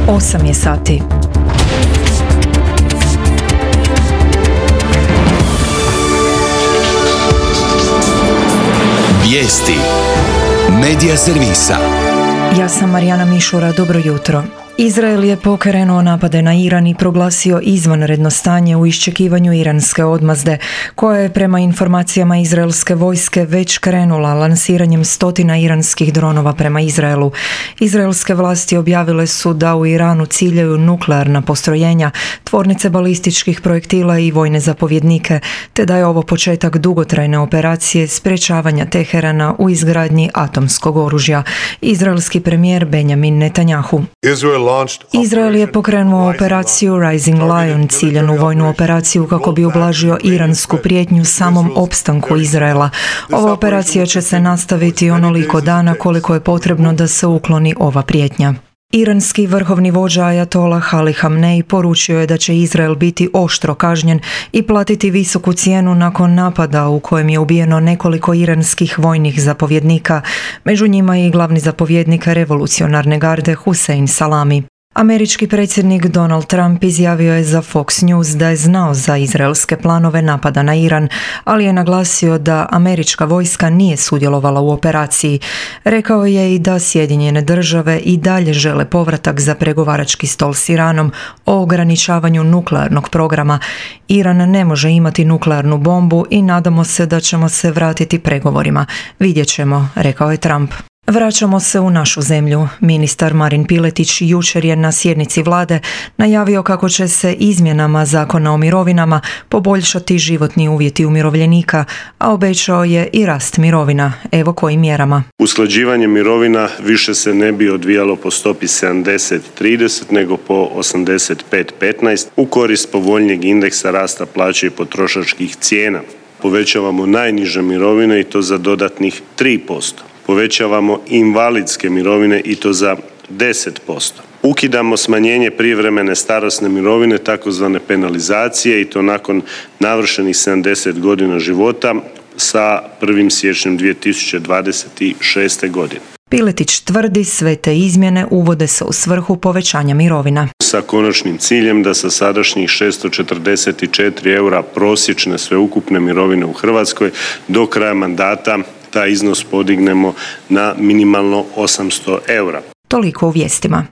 8 je sati. Vijesti Medija servisa. Ja sam Marijana Mišura, dobro jutro. Izrael je pokrenuo napade na Iran i proglasio izvanredno stanje u iščekivanju iranske odmazde, koja je prema informacijama izraelske vojske već krenula lansiranjem stotina iranskih dronova prema Izraelu. Izraelske vlasti objavile su da u Iranu ciljaju nuklearna postrojenja, tvornice balističkih projektila i vojne zapovjednike, te da je ovo početak dugotrajne operacije sprečavanja Teherana u izgradnji atomskog oružja. Izraelski premijer Benjamin Netanjahu. Izrael je pokrenuo operaciju Rising Lion, ciljanu vojnu operaciju kako bi ublažio iransku prijetnju samom opstanku Izraela. Ova operacija će se nastaviti onoliko dana koliko je potrebno da se ukloni ova prijetnja. Iranski vrhovni vođa Ajatolah Ali Hamnej poručio je da će Izrael biti oštro kažnjen i platiti visoku cijenu nakon napada u kojem je ubijeno nekoliko iranskih vojnih zapovjednika, među njima i glavni zapovjednik revolucionarne garde Hussein Salami. Američki predsjednik Donald Trump izjavio je za Fox News da je znao za izraelske planove napada na Iran, ali je naglasio da američka vojska nije sudjelovala u operaciji. Rekao je i da Sjedinjene države i dalje žele povratak za pregovarački stol s Iranom o ograničavanju nuklearnog programa. Iran ne može imati nuklearnu bombu i nadamo se da ćemo se vratiti pregovorima. Vidjet ćemo, rekao je Trump. Vraćamo se u našu zemlju. Ministar Marin Piletić jučer je na sjednici vlade najavio kako će se izmjenama Zakona o mirovinama poboljšati životni uvjeti umirovljenika, a obećao je i rast mirovina. Evo kojim mjerama. Usklađivanje mirovina više se ne bi odvijalo po stopi 70-30 nego po 85-15 u korist povoljnijeg indeksa rasta plaće i potrošačkih cijena. Povećavamo najniže mirovine i to za dodatnih 3%. Povećavamo invalidske mirovine i to za 10%. Ukidamo smanjenje prijevremene starosne mirovine, takozvane penalizacije, i to nakon navršenih 70 godina života sa 1. siječnjem 2026. godine. Piletić tvrdi sve te izmjene uvode se u svrhu povećanja mirovina. Sa konačnim ciljem da sa sadašnjih 644 eura prosječne sveukupne mirovine u Hrvatskoj do kraja mandata taj iznos podignemo na minimalno 800 eura. Toliko u vijestima.